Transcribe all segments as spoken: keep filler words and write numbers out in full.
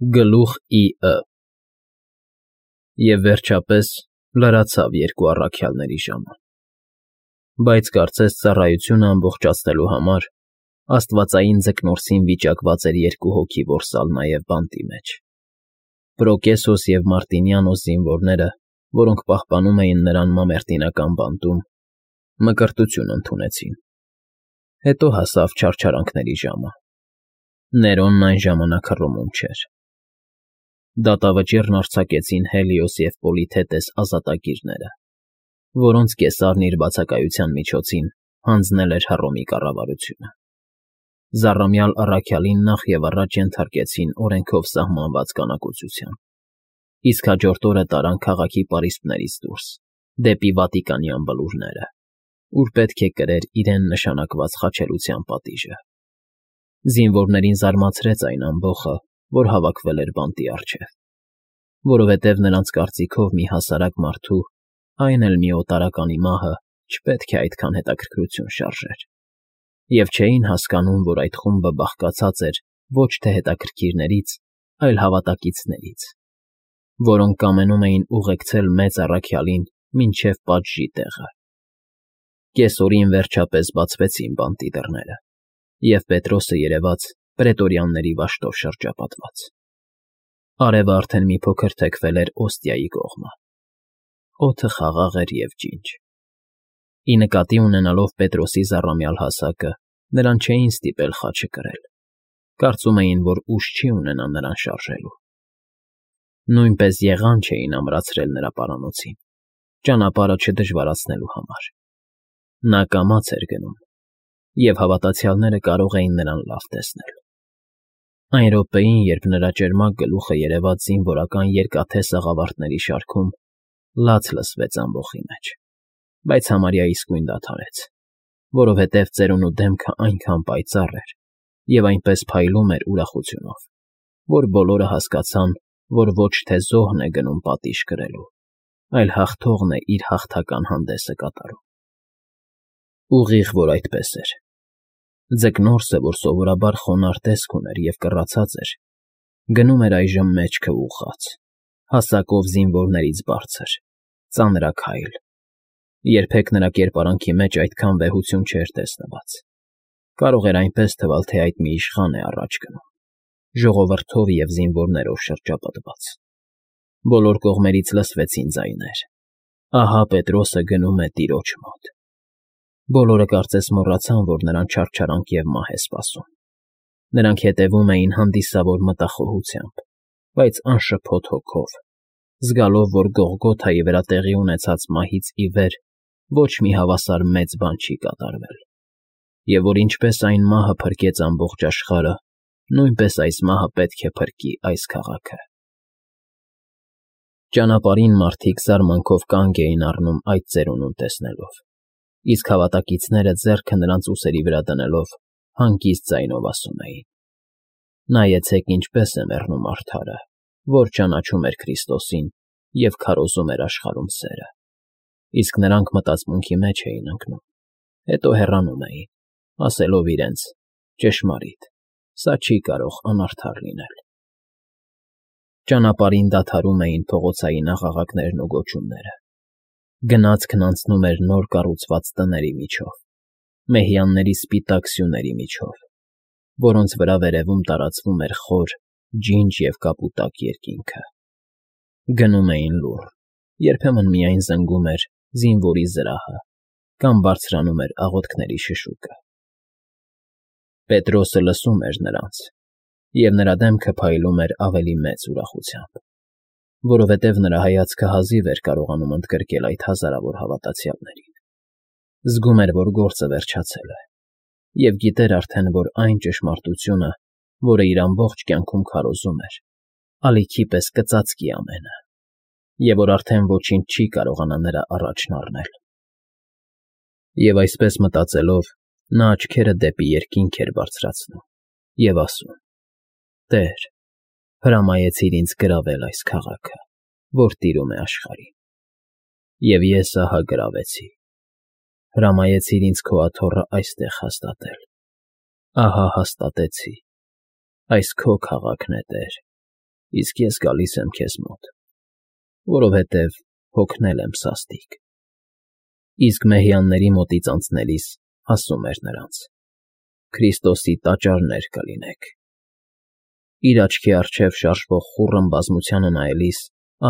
Գլուխ Ի.Ը. Եվ վերջապես լրացավ երկու առաքյալների ժամը, բայց կարծես ծառայությունը ամբողջացնելու համար աստվածային Ձկնորսին վիճակված էր երկու հոգի որսալ նաև բանտի մեջ. Պրոկեսոս և Մարտինիանոս զինվորները, որոնք պահպանում էին նրան մամերտինական բանտում, մկրտություն ընդունեցին։ Հետո հասավ չարչարանքների ժամը. Ներոնն այն ժամանակ հռոմում չէր։ Դատավճիռն արձակեցին Հելիոս և Պոլիթետես ազատագիրները, որոնց կեսարն իր բացակայության միջոցին հանձնել էր Հռոմի կառավարությունը։ Զառամյալ առաքյալին նախևառաջ ենթարկեցին օրենքով սահմանված կանակուցության, իսկ հաջորդ օրը տարան քաղաքի պարիսպներից դուրս, դեպի Վատիկանյան բլուրները, ուր պետք է կրեր իրեն նշանակված խաչելության պատիժը։ Զինվորներին զարմացրեց այն ամբոխը, որ հավաքվել էր բանտի առջև, որովհետև նրանց կարծիքով մի հասարակ մարդու, այն էլ մի օտարականի մահը չպետք է այդքան հետաքրքրություն շարժեր, և չէին հասկանում, որ այդ խումբը բաղկացած էր ոչ թե հետաքրքիրներից, այլ հավատակիցներից, որոնք կամենում էին ուղեկցել մեծ առաքյալին մինչև պատժի տեղը։ Կեսօրին վերջապես բացվեցին բանտի դռները, և Պետրոսը երևաց պրետորյանների վաշտով շրջապատված։ Արևը արդեն մի փոքր թեքվել էր Օստիայի կողմը։ Օդը խաղաղ էր և ջինջ։ Ի նկատի ունենալով Պետրոսի զառամյալ հասակը, նրան չէին ստիպել խաչը կրել, կարծում էին, որ ուժ չի ունենա նրան շարժելու։ Նույնպես եղան չէին ամրացրել նրա պարանոցին, ճանապարհը չդժվարացնելու համար։ Նա կամաց էր գնում, և հավատացյալները կարող էին նրան լավ տեսնել։ Այն րոպեին, երբ նրա ճերմակ գլուխը երևաց զինվորական երկաթե սաղավարտների շարքում, լաց լսվեց ամբոխի մեջ, բայց համարյա իսկույն դադարեց, որովհետև ծերունու դեմքը այնքան պայծառ էր և այնպես փայլում էր ուրախությունով, որ բոլորը հասկացան, որ ոչ թե զոհն է գնում պատիժ կրելու, այլ հաղթողն է իր հաղթական հանդեսը կատարում։ Ուղիղ որ այդպես էր։ Ձկնորսը, որ սովորաբար խոնարհ տեսք ուներ և կռացած էր, գնում էր այժմ մեջքը ուղղած, հասակով զինվորներից բարձր, ծանրաքայլ։ Երբեք նրա կերպարանքի մեջ այդքան վեհություն չէր տեսնված։ Կարող էր այնպես թվալ, թե այդ մի իշխան է առաջ գնում, ժողովրդով և զինվորներով շրջապատված։ Բոլոր կողմերից լսվեցին ձայներ. «Ահա Պետրոսը գնում է տիրոջ մոտ»։ Բոլորը կարծես մոռացան, որ նրան չարչարանք և մահ է սպասում։ Նրանք հետևում էին հանդիսավոր մտախոհությամբ, բայց անշփոթ հոգով, զգալով, որ Գողգոթայի վրա տեղի ունեցած մահից ի վեր ոչ մի հավասար մեծ բան չի կատարվել, և որ ինչպես այն մահը փրկեց ամբողջ աշխարհը, նույնպես այս մահը պետք է փրկի այս քաղաքը։ Ճանապարհին մարդիկ զարմանքով կանգ էին առնում այդ ծերունուն տեսնելով, իսկ հավատակիցները ձեռքը նրանց ուսերի վրա դնելով հանգիստ ձայնով ասում էին. «Նայեցեք ինչպես է մեռնում արդարը, որ ճանաչում էր Քրիստոսին և քարոզում էր աշխարհում սերը»։ Իսկ նրանք մտածմունքի մեջ էին ընկնում, հետո հեռանում էին, ասելով իրենց. «Ճշմարիտ, սա չի կարող անարդար լինել»։ Ճանապարհին դադարում էին փողոցային աղաղակներն ու գոչյունները։ Գնացքն անցնում էր նոր կառուցված տների միջով, մեհյանների սպիտակ սյուների միջով, որոնց վրա վերևում տարածվում էր խոր, ջինջ և կապուտակ երկինքը։ Գնում էին լուռ, երբեմն միայն զնգում էր զինվորի զրահը կամ բարձրանում էր աղոթքների շշուկը։ Պետրոսը լսում էր նրանց, և նրա դեմքը փայլում էր ավելի մեծ ուրախությամբ, որովհետև նրա հայացքը հազիվ էր կարողանում ընդգրկել այդ հազարավոր հավատացյալներին։ Զգում էր, որ գործը վերջացել է, և գիտեր արդեն, որ այն ճշմարտությունը, որը իր ամբողջ կյանքում քարոզում էր, ալիքի պես կծածկի ամենը, և որ արդեն ոչինչ չի կարողանա նրա առաջն առնել։ Եվ այսպես մտածելով, նա աչքերը դեպի երկինք էր բարձրացնում և ասում. «Տե՛ր, հրամայեցիր ինձ գրավել այս քաղաքը, որ տիրում է աշխարհին, և ես ահա գրավեցի։ Հրամայեցիր ինձ քո աթոռը այստեղ հաստատել, ահա հաստատեցի։ Այս քո քաղաքն է, Տեր, Իսկ ես գալիս եմ քեզ մոտ, որովհետև հոգնել եմ սաստիկ։ Իսկ մեհյանների մոտից անցնելիս ասում էր նրանց. Քրիստոսի տաճարներ կլինեք։ Իր աչքի առջև շարժվող խուռն բազմությանը նայելիս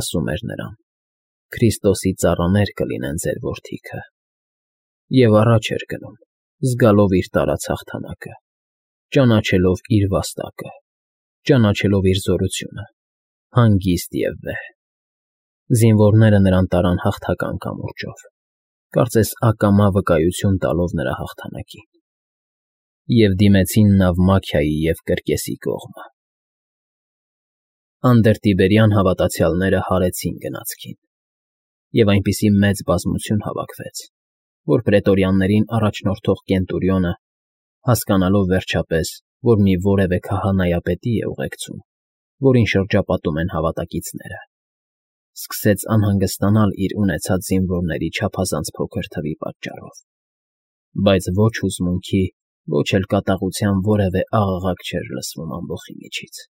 ասում էր նրան. Քրիստոսի ծառաներ կլինեն ձեր որդիքը։ Եվ առաջ էր գնում, զգալով իր տարած հաղթանակը, ճանաչելով իր վաստակը, ճանաչելով իր զորությունը, հանգիստ և վեհ։ Զինվորները նրան տարան հաղթական կամուրջով, կարծես ակամա վկայություն տալով նրա հաղթանակին, և դիմեցին Նավմաքիայի և Կրկեսի կողմը։ Անդրտիբերյան հավատացյալները հարեցին գնացքին, և այնպիսի մեծ բազմություն հավաքվեց, որ պրետորյաններին առաջնորդող Կենտուրիոնը, հասկանալով վերջապես, որ մի որևէ քահանայապետի է ուղեկցում, որին շրջապատում են հավատակիցները, սկսեց անհանգստանալ իր ունեցած զինվորների չափազանց փոքր թվի պատճառով, բայց ոչ հուզմունքի, ոչ էլ կատաղության որևէ աղաղակ չէր լսվում ամբոխի միջից։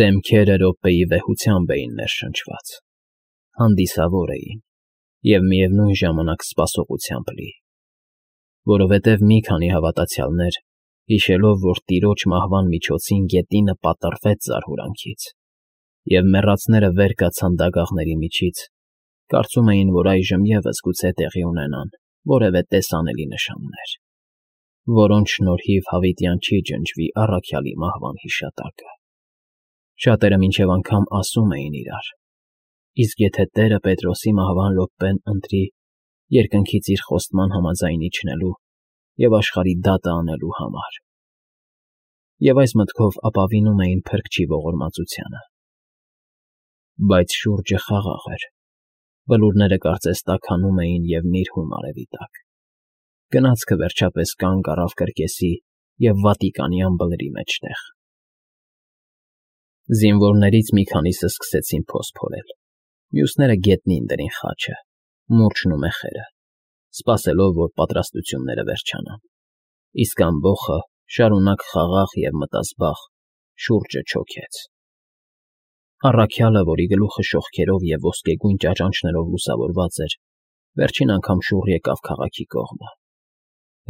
Դեմքերը րոպեի վեհությամբ էին ներշնչված, հանդիսավոր էին և միևնույն ժամանակ սպասողությամբ լի, որովհետև մի քանի հավատացյալներ, հիշելով, որ տիրոջ մահվան միջոցին գետինը պատռվեց զարհուրանքից, և մեռածները վեր կացան դագաղների միջից, կարծում էին, որ այժմ ևս գուցե տեղի ունենան որևէ տեսանելի նշաններ, որոնց շնորհիվ հավիտյան չի ջնջվի առաքյալի մահվան հիշատակը։ Շատերը մինչև անգամ ասում էին իրար. իսկ եթե Տերը Պետրոսի մահվան րոպեն ընտրի երկնքից իր խոստման համաձայն իջնելու և աշխարհի դատը անելու համար։ Եվ այս մտքով ապավինում էին փրկչի ողորմածությանը։ Բայց շուրջը խաղաղ էր, բլուրները կարծես տաքանում էին և նիրհում արևի տակ։ Գնացքը վերջապես կանգ առավ Կրկեսի և Վատիկանյան բլրի մեջտեղ։ Զինվորներից մի քանիսը սկսեցին փոս փորել, մյուսները գետնին դրին խաչը, մուրճն ու մեխերը, սպասելով, որ պատրաստությունները վերջանան, իսկ ամբոխը շարունակ խաղաղ և մտազբաղ շուրջը չոքեց։ Առաքյալը, որի գլուխը շողքերով և ոսկեգույն ճաճանճներով լուսավորված էր, վերջին անգամ շուռ եկավ քաղաքի կողմը։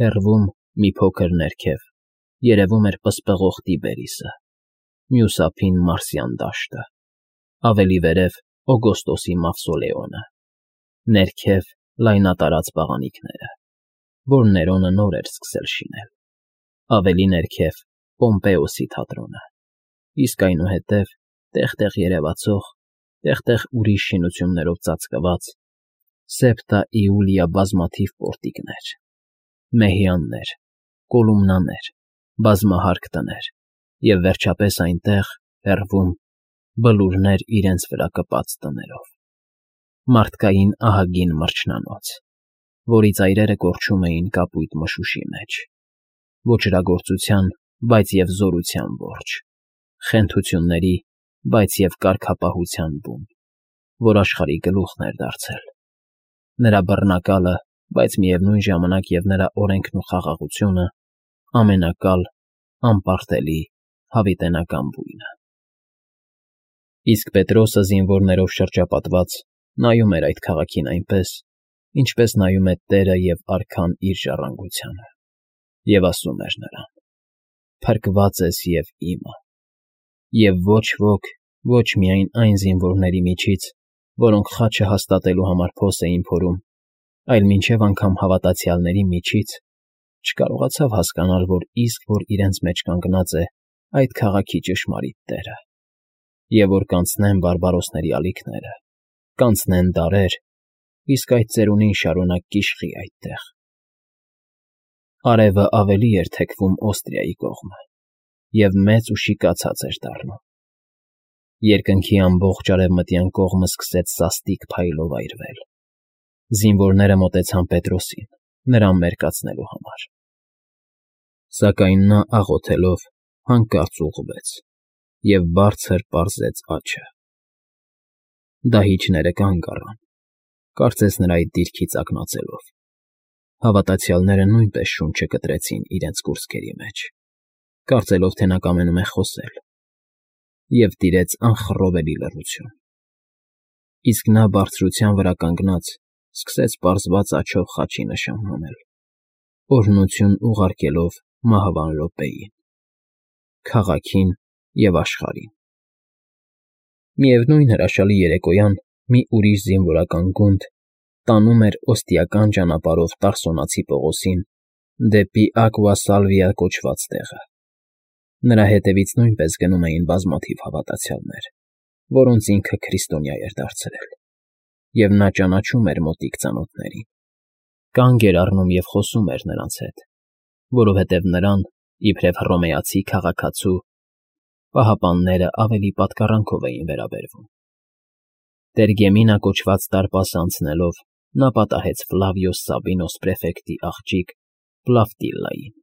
Հեռվում, մի փոքր ներքև, երևում էր պսպղող Տիբերիսը, մյուս ափին Մարսյան դաշտը, ավելի վերև Օգոստոսի մավսոլեոնը, ներքև լայնատարած բաղանիքները, որ Ներոնը նոր էր սկսել շինել, ավելի ներքև Պոմպեոսի թատրոնը, իսկ այնուհետև տեղ֊տեղ երևացող, տեղ֊տեղ ուրիշ շինություններով ծածկված Սեպտա Իուլիա բազմաթիվ պորտիկներ, մեհյաններ, կոլումնաներ, բազմահարկ տներ և վերջապես այնտեղ, հեռվում, բլուրներ իրենց վրա կպած տներով, մարդկային ահագին մրջնանոց, որի ծայրերը կորչում էին կապույտ մշուշի մեջ, ոճրագործության, բայց և զորության որջը, խենթությունների, բայց և կարգապահության բուն, որ աշխարհի գլուխն էր դարձել, նրա բռնակալը, բայց միևնույն ժամանակ և նրա օրենքն ու խաղաղությունը ամենակալ, անպարտելի, հավիտենական բույնը։ Իսկ Պետրոսը զինվորներով շրջապատված նայում էր այդ քաղաքին այնպես, ինչպես նայում է տերը և արքան իր ժառանգությանը, և ասում էր նրան. «Փրկված ես և իմը», և ոչ ոք, ոչ միայն այն զինվորների միջից, որոնք խաչը հաստատելու համար փոս էին փորում, այլ մինչև անգամ հավատացյալների միջից չկարողացավ հասկանալ, որ իսկ որ իրենց մեջ կանգնած է այդ քաղաքի ճշմարիտ տերը, և որ կանցնեն բարբարոսների ալիքները, կանցնեն դարեր, իսկ այդ ծերունին շարունակ կիշխի այդտեղ։ Արևը ավելի էր թեքվում Օստրիայի կողմը, և մեծ ու շիկացած էր դառնում։ Երկնքի ամբողջ արևմտյան կողմը սկսեց սաստիկ փայլով այրվել։ Զինվորները մոտեցան Պետրոսին, նրան մերկացնելու համար։ Սակայն նա աղոթելով հանկարծ ուղղվեց և բարձր պարզեց աջը։ Դահիճները կանգ առան, կարծես նրա այդ դիրքից ակնածելով։ Հավատացյալները նույնպես շունչը կտրեցին իրենց կուրծքերի մեջ, կարծելով, թե նա կամենում է խոսել։ և տիրեց անխռովելի լռություն։ Իսկ նա բարձրության վրա կանգնած սկսեց պարզված աջով խաչի նշան անել, օրհնություն ուղարկելով մահվան րոպեին, քաղաքին և աշխարհին։ Միևնույն հրաշալի երեկոյան մի ուրիշ զինվորական գունդ տանում էր օստիական ճանապարհով Տարսոնացի Պողոսին դեպի Ակվա Սալվիա կոչված տեղը։ Նրա հետևից նույնպես գնում էին բազմաթիվ հավատացյալներ, որոնց ինքը քրիստոնյա էր դարձրել, և նա ճանաչում էր մոտիկ ծանոթներին, կանգ էր առնում և խոսում էր նրանց հետ, որովհետև նրան, իբրև հռոմեացի քաղաքացու, պահապանները ավելի պատկառանքով էին վերաբերվում։ Տերգեմինա կոչված դարպասը անցնելով, նա պատահեց Ֆլավիոս Սաբինոս պրեֆեկտի աղջիկ Պլավտիլլային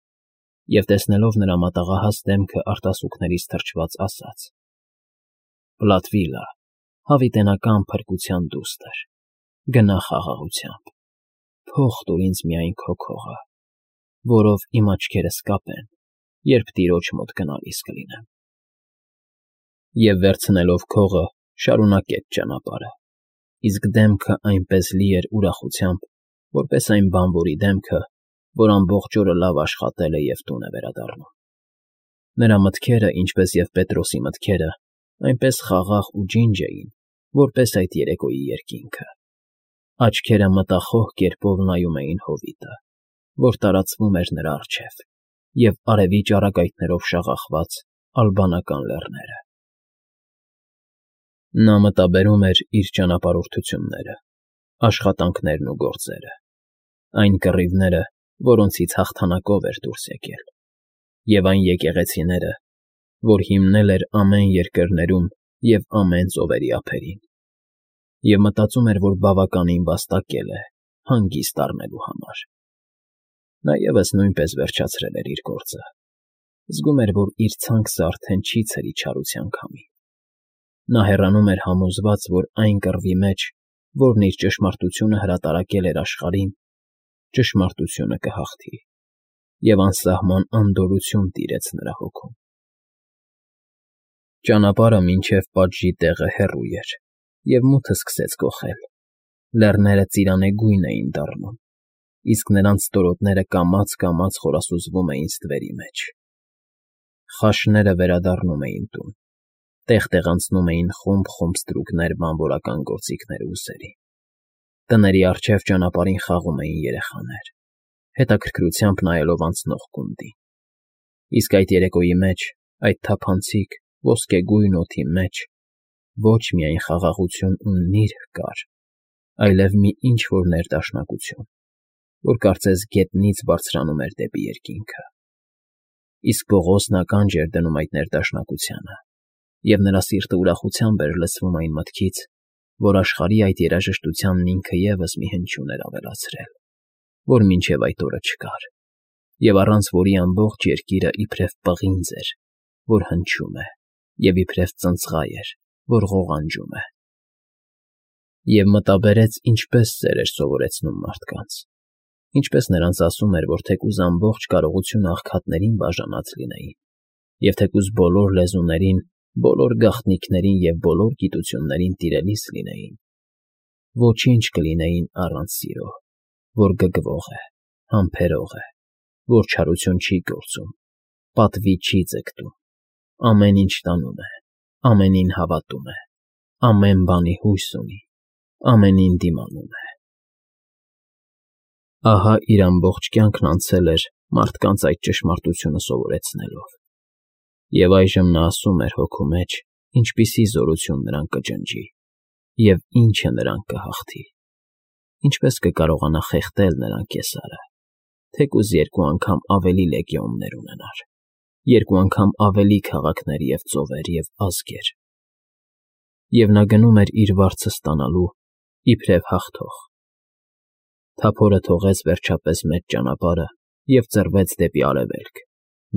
և, տեսնելով նրա մատաղահաս դեմքը արտասուքներից թրջված, ասաց. «Պլատվիլլա, հավիտենական փրկության դուստր, գնա խաղաղությամբ, փող տուր ինձ միայն քո քողը, որով իմ աչքերս կապեն, երբ տիրոջ մոտ գնալիս կլինեմ»։ Եվ վերցնելով քողը, շարունակեց ճանապարհը, իսկ դեմքը այնպես լի էր ուրախությամբ, որպես այն բանվորի դեմքը, որ ամբողջ օրը լավ աշխատել է և տուն է վերադառնում։ Նրա մտքերը, ինչպես և Պետրոսի մտքերը, այնպես խաղաղ ու ջինջ էին, որպես այդ երեկոյի երկինքը։ Աչքերը մտախոհ կերպով նայում էին հովիտը, որ տարածվում էր նրա առջև, և արևի ճառագայթներով շաղախված ալբանական լեռները։ Նա մտաբերում էր իր ճանապարհորդությունները, աշխատանքներն ու գործերը, այն կռիվները, որոնցից հաղթանակով էր դուրս եկել, և այն եկեղեցիները, որ հիմնել էր ամեն երկրներում և ամեն ծովերի ափերին, և մտածում էր, որ բավականին վաստակել է հանգիստ առնելու համար։ Նա ևս նույնպես վերջացրել էր իր գործը, զգում էր, որ իր ցանկը արդեն չի ցրի չարության քամին։ Նա հեռանում էր համոզված, որ այն կռվի մեջ, որն իր ճշմարտությունը հրատարակել էր աշխարհին, ճշմարտությունը կհաղթի, և անսահման անդորրություն տիրեց նրա հոգում։ Ճանապարհը մինչև պատժի տեղը հեռու էր, և մութը սկսեց գոխել, լեռները ծիրանեգույն էին դառնում, իսկ նրանց ստորոտները կամաց֊կամաց խորասուզվում էին ստվերի մեջ։ Խաշները վերադառնում էին տուն, տեղ֊տեղ անցնում էին խումբ֊խումբ ստրուկներ բանվորական գործիքների ուսերի։ Տների առջև ճանապարհին խաղում էին երեխաներ, հետաքրքրությամբ նայելով անցնող գունդին։ Իսկ այդ երեկոյի մեջ, այդ թափանցիկ, ոսկեգույն օդի մեջ ոչ միայն խաղաղություն ու նիրհ կար, այլև մի ինչ֊որ ներդաշնակություն, որ կարծես գետնից բարձրանում էր դեպի երկինքը։ Իսկ Պողոսն ականջ էր դնում այդ ներդաշնակությանը, և նրա սիրտը ուրախությամբ էր լցվում այն մտքից, որ աշխարհի այդ երաժշտությանն ինքը ևս մի հնչյուն էր ավելացրել, որ մինչև այդ օրը չկար, և առանց որի ամբողջ երկիրը իբրև պղինձ էր, որ հնչում է, և իբրև ծնծղայ էր, որ ղողանջում է։ Եվ մտաբերեց, ինչպես սեր էր սովորեցնում մարդկանց, ինչպես նրանց ասում էր, որ թեկուզ ամբողջ կարողությունը աղքատներին բաժանած լինեին, և թեկուզ բոլոր լեզուներին, բոլոր գաղտնիքներին և բոլոր գիտություններին տիրելիս լինեին, ոչինչ կլինեին առանց սիրո, որ գգվող է, համբերող է, որ չարություն չի գործում, պատվի չի ձգտում, ամեն ինչ տանում է, ամենին հավատում է, ամեն բանի հույս ունի, ամենին դիմանում է։ Ահա իր ամբողջ կյանքն անցել էր մարդկանց այդ ճշմարտությունը սովորեցնելով, և այժմ նա ասում էր հոգու մեջ, ինչպիսի զորություն նրան կջնջի և ինչը նրան կհաղթի, ինչպես կկարողանա խեղդել նրան կեսարը, թեկուզ երկու անգամ ավելի լեգիոններ ունենար, երկու անգամ ավելի քաղաքներ և ծովեր և ազգեր։ Եվ նա գնում էր իր վարձը ստանալու, իբրև հաղթող։ Թափորը թողեց վերջապես մեծ ճանապարհը և ծռվեց դեպի արևելք,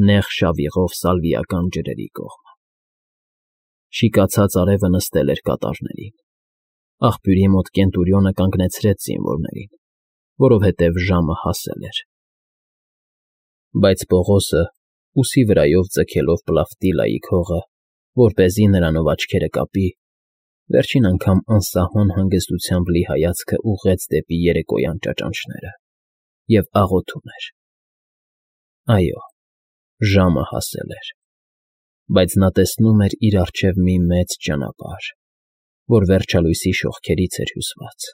նեղ շավիղով սալվիական ջրերի կողմը։ Շիկացած արևը նստել էր կատարներին։ Աղբյուրի մոտ Կենտուրիոնը կանգնեցրեց զինվորներին, որովհետև ժամը հասել էր։ Բայց Պողոսը, ուսի վրայով ձգելով Պլավտիլլայի քողը, որպեսզի նրանով աչքերը կապի, վերջին անգամ անսահման հանգստությամբ լի հայացքը ուղղեց դեպի երեկոյան ճաճանճները և աղոթում էր. այո, ժամը հասել էր, բայց նա տեսնում էր իր առջև մի մեծ ճանապարհ, որ վերջալույսի շողքերից էր հյուսված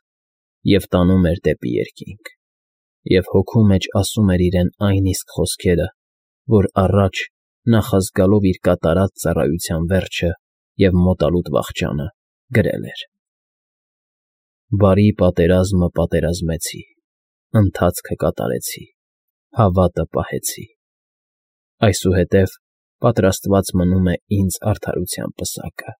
և տանում էր դեպի երկինք, և հոգու մեջ ասում էր իրեն այն իսկ խոսքերը, որ առաջ, նախազգալով իր կատարած ծառայության վերջը և մոտալուտ վախճանը, գրել էր. «Բարի պատերազմը պատերազմեցի, ընթացքը կատարեցի, հավատը պահեցի, այսուհետև պատրաստված մնում է ինձ արդարության պսակը»։